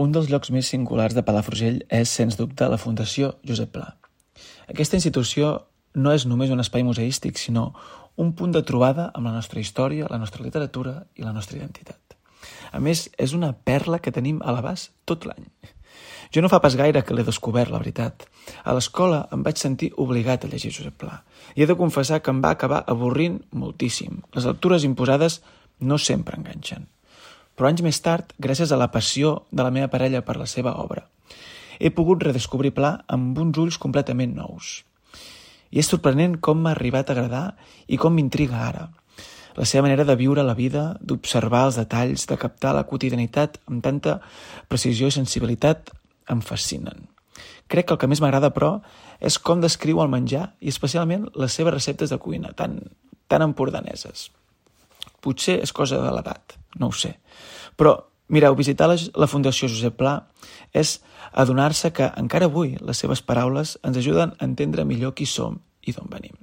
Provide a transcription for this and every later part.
Un dels llocs més singulars de Palafrugell és, sens dubte, la Fundació Josep Pla. Aquesta institució no és només un espai museístic, sinó un punt de trobada amb la nostra història, la nostra literatura i la nostra identitat. A més, és una perla que tenim a l'abast tot l'any. Jo no fa pas gaire que l'he descobert, la veritat. A l'escola em vaig sentir obligat a llegir Josep Pla. I he de confessar que em va acabar avorrint moltíssim. Les lectures imposades no sempre enganxen. Però anys més tard, gràcies a la passió de la meva parella per la seva obra, he pogut redescobrir Pla amb uns ulls completament nous. I és sorprenent com m'ha arribat a agradar i com m'intriga ara. La seva manera de viure la vida, d'observar els detalls, de captar la quotidianitat amb tanta precisió i sensibilitat em fascinen. Crec que el que més m'agrada, però, és com descriu el menjar i especialment les seves receptes de cuina, tan empordaneses. Potser és cosa de l'edat, no ho sé. Però, mireu, visitar la Fundació Josep Pla és adonar-se que encara avui les seves paraules ens ajuden a entendre millor qui som i d'on venim.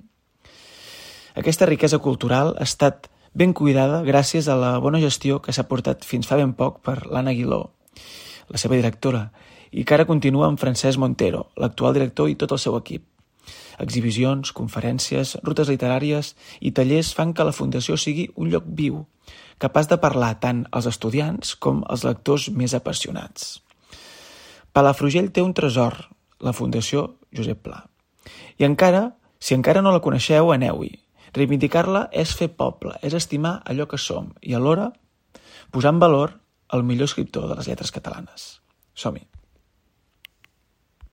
Aquesta riquesa cultural ha estat ben cuidada gràcies a la bona gestió que s'ha portat fins fa ben poc per l'Anna Aguiló, la seva directora, i que ara continua amb Francesc Montero, l'actual director i tot el seu equip. Exhibicions, conferències, rutes literàries i tallers fan que la Fundació sigui un lloc viu, capaç de parlar tant als estudiants com als lectors més apassionats. Palafrugell té un tresor, la Fundació Josep Pla. I encara, si encara no la coneixeu, aneu-hi. Reivindicar-la és fer poble, és estimar allò que som i alhora posar en valor el millor escriptor de les lletres catalanes. Som-hi!